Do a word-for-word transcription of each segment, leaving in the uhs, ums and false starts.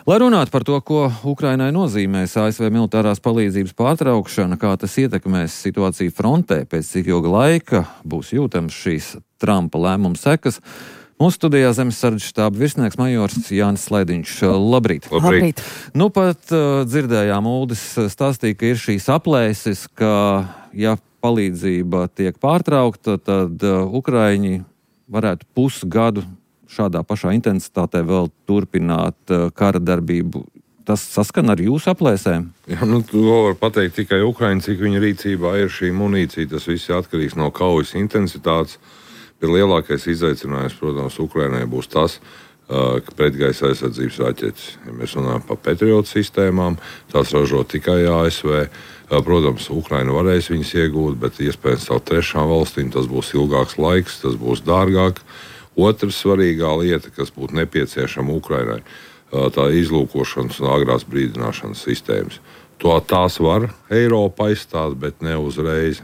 Lai runātu par to, ko Ukrainai nozīmēs A S V militārās palīdzības pārtraukšana, kā tas ietekmēs situāciju frontē, pēc cik ilga laika būs jūtams šīs Trumpa lēmuma sekas, mūsu studijā Zemesardzes štāba virsnieks majors Jānis Slaidiņš. Labrīt! Labrīt! Nu pat uh, dzirdējām, Uldis stāstīja, ka ir šīs aplēses, ka ja palīdzība tiek pārtraukta, tad uh, Ukraiņi varētu pusgadu šādā pašā intensitātē vēl turpināt uh, kara darbību. Tas saskan ar jūsu aplēsēm? Jā, nu, to var pateikt tikai Ukraiņi, cik viņa rīcībā ir šī munīcija. Tas viss ir atkarīgs no kaujas intensitātes. Bet lielākais izaicinājums, protams, Ukrainai būs tas, uh, ka pretgaisa aizsardzības raķetes. Ja mēs runājam par Patriot sistēmām, tās ražo tikai A S V. Uh, protams, Ukraina varēs viņas iegūt, bet iespējams caur trešām valstīm tas būs ilgāks laiks, tas būs dārgāk. Otra svarīgā lieta, kas būtu nepieciešama Ukrainai, tā izlūkošanas un agrās brīdināšanas sistēmas. To tās var Eiropa aizstāt, bet ne uzreiz.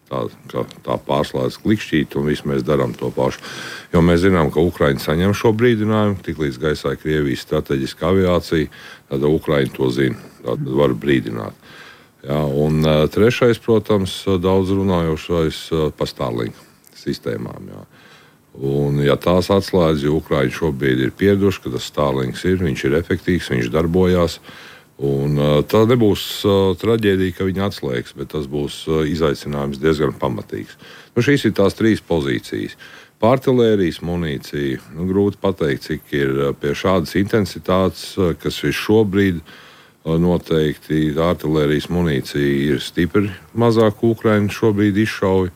Tā, tā pārslēdz klikšķīt, un viss mēs darām to pašu. Jo mēs zinām, ka Ukraiņi saņem šo brīdinājumu, tiklīdz gaisā Krievijas strateģiska aviācija, tad Ukraiņi to zina, tad var brīdināt. Jā, un trešais, protams, daudz runājošais par Starlink sistēmām. Jā. Un, ja tās atslēdz, jo Ukraiņi šobrīd ir pieraduši, ka tas Starlinks ir, viņš ir efektīvs, viņš darbojās. Un, uh, tā nebūs uh, traģēdija, ka viņi atslēgs, bet tas būs uh, izaicinājums diezgan pamatīgs. Nu, šīs ir tās trīs pozīcijas. Artilērijas munīcija, nu, grūti pateikt, cik ir uh, pie šādas intensitātes, uh, kas ir šobrīd uh, noteikti. Artilērijas munīcija ir stipri mazāk Ukraiņu šobrīd izšauj,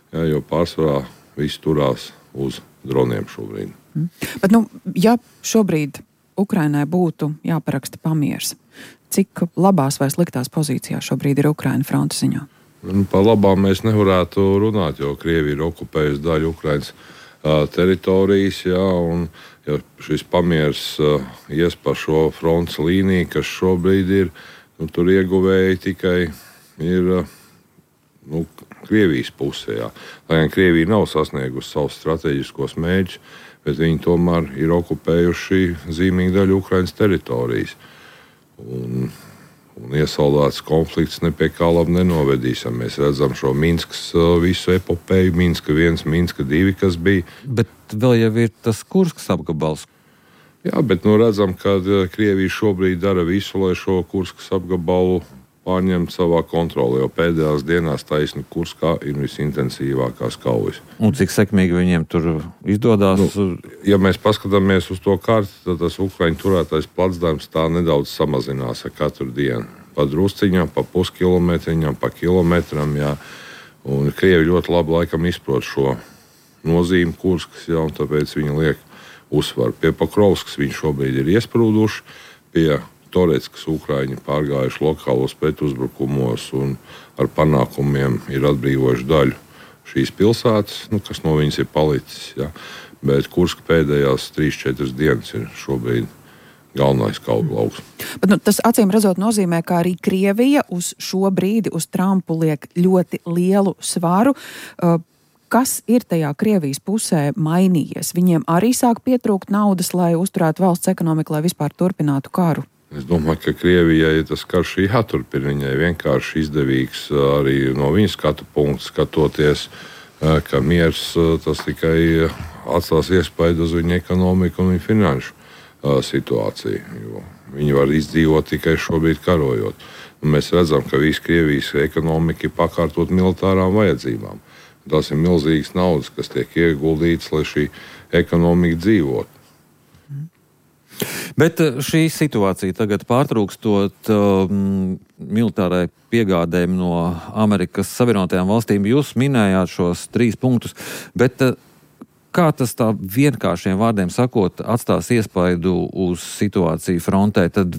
jā, jo pārsvarā viss turās uz droniem šobrīd. Mm. Bet, nu, ja šobrīd Ukrainai būtu jāparaksta pamiers, cik labās vai sliktās pozīcijās šobrīd ir Ukraina frontes ziņā? Par labām mēs nevarētu runāt, jo Krievija ir okupējusi daļu Ukrainas uh, teritorijas, jā, un ja šis pamiers uh, ies pa šo frontes līniju, kas šobrīd ir, nu, tur ieguvēji tikai ir uh, nu, Krievijas pusē. Jā. Lai gan Krievija nav sasniegusi savus strateģiskos mērķus, bet viņi tomēr ir okupējuši zīmīgu daļu Ukrainas teritorijas. Un, un iesaldēts konflikts ne pie kā labi nenovedīs. Ja mēs redzam šo Minskas visu epopēju, Minska viens, Minska divi, kas bija. Bet vēl jau ir tas Kurskas apgabals. Jā, bet nu redzam, ka Krievija šobrīd dara visu, lai šo Kurskas apgabalu pārņemt savā kontrolē, jo pēdējās dienās taisni Kurskā ir visintensīvākās kaujas. Un cik sekmīgi viņiem tur izdodas? Nu, ja mēs paskatāmies uz to karti, tad tas Ukraiņu turētais placdarms tā nedaudz samazinās ar katru dienu. Pa drusciņām, pa puskilometriņām, pa kilometram, jā. Un Krievi ļoti labi laikam izprot šo nozīmi Kurskas, jā, un tāpēc viņi liek uzsvaru. Pie Pokrovskas viņi šobrīd ir iesprūduši, pie Toretskas Ukraiņi pārgājuši lokālos pretuzbrukumos un ar panākumiem ir atbrīvojuši daļu šīs pilsētas, nu, kas no viņas ir palicis. Ja. Bet Kurska pēdējās trīs četras dienas ir šobrīd galvenais kauju lauks. Bet, nu, tas acīm redzot nozīmē, ka arī Krievija uz šo brīdi uz Trumpu liek ļoti lielu svaru. Uh, Kas ir tajā Krievijas pusē mainījies? Viņiem arī sāk pietrūkt naudas, lai uzturētu valsts ekonomiku, lai vispār turpinātu karu? Es domāju, ka Krievijai ja tas karš ir jāturpina. Viņai vienkārši izdevīgs arī no viņas skatu punktu skatoties, ka miers tas tikai atstās iespaidu uz viņu ekonomiku un viņu finanšu situāciju. Jo viņi var izdzīvot tikai šobrīd karojot. Un mēs redzam, ka visa Krievijas ekonomika ir pakārtot militārām vajadzībām. Tās ir milzīgas naudas, kas tiek ieguldītas, lai šī ekonomika dzīvotu. Bet šī situācija tagad pārtrūkstot um, militārai piegādēm no Amerikas Savienotajām valstīm, jūs minējāt šos trīs punktus, bet uh, kā tas tā vienkāršiem vārdiem sakot atstās iespaidu uz situāciju frontē, tad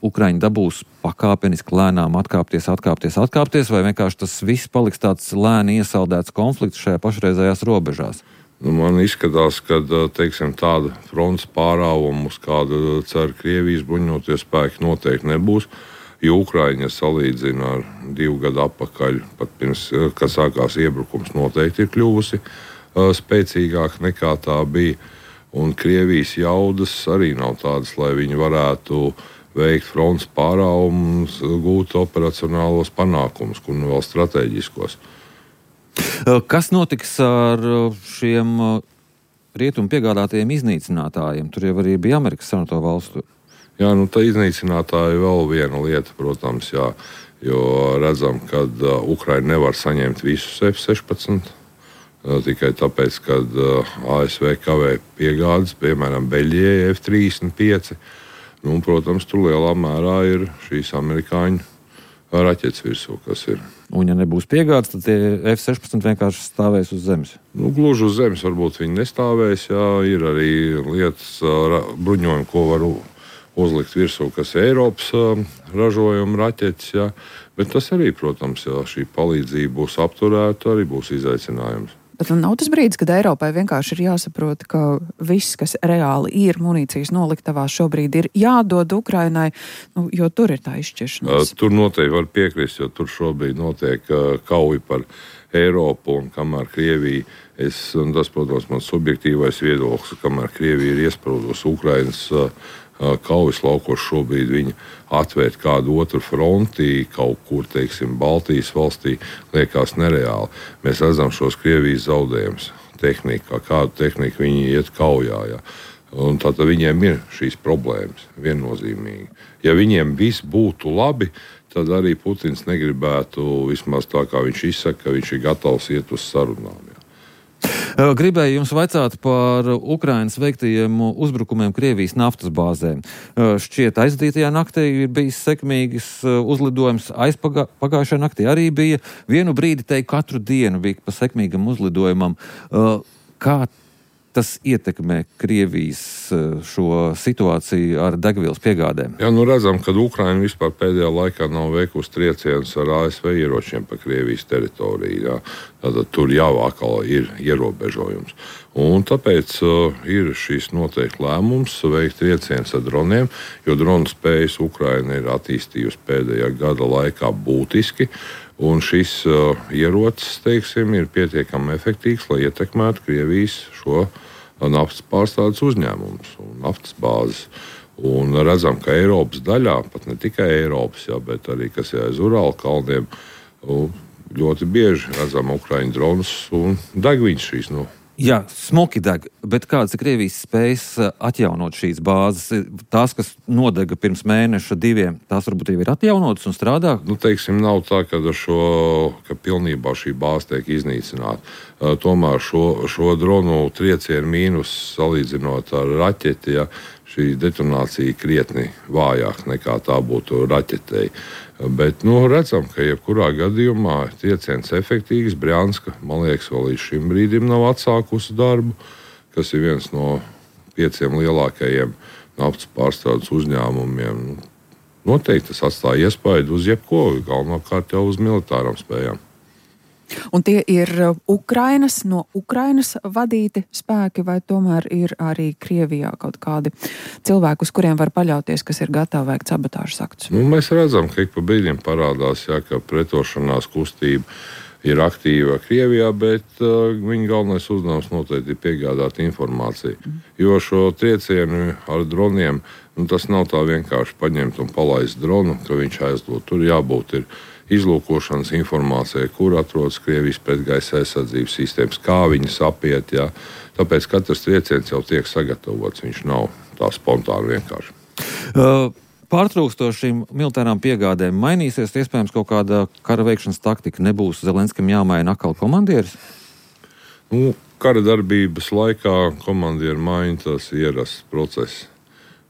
Ukraiņi dabūs pakāpeniski lēnām atkāpties, atkāpties, atkāpties, vai vienkārši tas viss paliks tāds lēni iesaldēts konflikts šajā pašreizējās robežās? Nu, man izskatās, ka teiksim, tāda frontes pārāvuma, uz kādu cer Krievijas bruņotie spēki, noteikti nebūs. Jo Ukraiņa salīdzina ar divu gadu atpakaļ, pat pirms, kad sākās iebrukums, noteikti ir kļuvusi uh, spēcīgāka nekā tā bija. Un Krievijas jaudas arī nav tādas, lai viņi varētu veikt frontes pāraugumus, gūt operacionālos panākumus, kur nu vēl strateģiskos. Kas notiks ar šiem rietumu piegādātajiem iznīcinātājiem? Tur jau arī bija Amerikas Savienoto Valstu. Jā, nu tā iznīcinātāja vēl viena lieta, protams, jā, jo redzam, ka uh, Ukraina nevar saņemt visus F sešpadsmit, uh, tikai tāpēc, ka uh, A S V kavē piegādes, piemēram, Beļģijai F trīsdesmit pieci. Nu, un, protams, tur lielā mērā ir šīs amerikāņu raķetes virsū, kas ir. Un, ja nebūs piegādes, tad tie F sešpadsmit vienkārši stāvēs uz zemes. Nu, gluži uz zemes varbūt viņi nestāvēs, jā, ir arī lietas, uh, bruņojumi, ko var uzlikt virsū, kas ir Eiropas uh, ražojuma raķetes, jā. Bet tas arī, protams, ja šī palīdzība būs apturēta, arī būs izaicinājums. Bet nav tas brīdis, kad Eiropai vienkārši ir jāsaprot, ka viss, kas reāli ir munīcijas noliktavās šobrīd, ir jādod Ukrainai, nu, jo tur ir tā izšķiršanās. Tur noteikti var piekrist, jo tur šobrīd notiek uh, kauja par Eiropu, un kamēr Krievija, es, un tas, protams, mans subjektīvais viedoklis, kamēr Krievija ir iesprūdusi Ukrainas uh, kaujas laukos, šobrīd viņi atvērt kādu otru fronti, kaut kur, teiksim, Baltijas valstī, liekas nereāli. Mēs redzam šos Krievijas zaudējumus tehnikā, kādu tehniku viņi iet kaujā. Ja. Un tātad viņiem ir šīs problēmas viennozīmīgi. Ja viņiem viss būtu labi, tad arī Putins negribētu, vismaz tā kā viņš izsaka, ka viņš ir gatavs iet uz sarunām. Ja. Gribēju jums vaicāt par Ukrainas veiktajiem uzbrukumiem Krievijas naftas bāzēm. Šķiet, aizdītajā naktī ir bijis sekmīgs uzlidojums, aizpagājušajā naktī arī bija. Vienu brīdi teiktu, katru dienu bija pa sekmīgam uzlidojumam. Kā tas ietekmē Krievijas šo situāciju ar degvielas piegādēm? Jā, nu redzam, ka Ukraina vispār pēdējā laikā nav veikusi triecienus ar A S V ieročiem pa Krievijas teritoriju. Jā. Tātad tur jau atkal ir ierobežojums. Un tāpēc uh, ir šis noteikti lēmums veikt triecienus ar droniem, jo dronu spējas Ukraina ir attīstījusi pēdējā gada laikā būtiski. Un šis uh, ierocis, teiksim, ir pietiekami efektīvs, lai ietekmētu Krievijas šo naftas pārstrādes uzņēmumus un naftas bāzes. Un redzam, ka Eiropas daļā, pat ne tikai Eiropas, jā, bet arī, kas ir aiz Urāla kalniem, ļoti bieži redzam Ukraiņu dronus un degviņas šīs. Nu. Jā, smuki deg, bet kādas ir Krievijas spējas atjaunot šīs bāzes? Tās, kas nodega pirms mēneša diviem, tās varbūt jau ir atjaunotas un strādā? Nu, teiksim, nav tā, ka, šo, ka pilnībā šī bāze tiek iznīcināta. Uh, tomēr šo, šo dronu triecienu mīnus salīdzinot ar raķeti, ja, šī detonācija krietni vājāk nekā tā būtu raķetei. Bet nu, redzam, ka jebkurā gadījumā trieciens efektīvs. Brjanska, man liekas, vēl līdz šim brīdim nav atsākusi darbu, kas ir viens no pieciem lielākajiem naftas pārstrādes uzņēmumiem. Noteikti tas atstāja iespaidu uz jebko, galvenokārt jau uz militārām spējām. Un tie ir Ukrainas, no Ukrainas vadīti spēki, vai tomēr ir arī Krievijā kaut kādi cilvēki, uz kuriem var paļauties, kas ir gatavi veikt sabotāžas aktus? Nu, mēs redzam, ka ik pa brīdim parādās, jā, ka pretošanās kustība ir aktīva Krievijā, bet uh, viņa galvenais uzdevums noteikti ir piegādāt informāciju. Mm. Jo šo triecienu ar droniem, nu, tas nav tā vienkārši paņemt un palaist dronu, ka viņš aizdod. Tur jābūt ir izlūkošanas informācija, kur atrodas Krievijas pretgaisa aizsardzības sistēmas, kā viņas apiet. Jā. Tāpēc katrs trieciens jau tiek sagatavots, viņš nav tā spontāni vienkārši. Uh, pārtrūkstošiem militārām piegādēm mainīsies, iespējams, kaut kāda kara veikšanas taktika. Nebūs Zelenskam jāmaina atkal komandieris? Nu, kara darbības laikā komandieru maiņa, tas ir ierasts process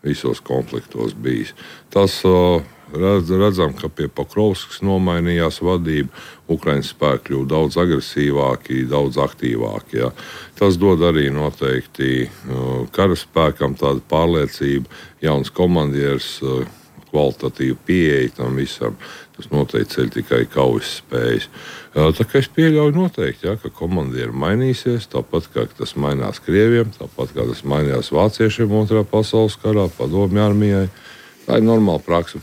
visos konfliktos bijis. Tas uh, Redz, redzam, ka pie Pokrovskas nomainījās vadība, Ukraiņas spēki kļuva daudz agresīvāki, daudz aktīvāki. Ja. Tas dod arī noteikti uh, karaspēkam tādu pārliecību, jauns komandieris, uh, kvalitatīvu pieeja tam visam. Tas noteikti ceļ tikai kaujas spējas. Uh, tā kā es pieļauju noteikti, ja, ka komandieri mainīsies, tāpat kā tas mainās Krieviem, tāpat kā tas mainījās vāciešiem otrā pasaules karā, padomju armijai. Tā ir normāla praksa.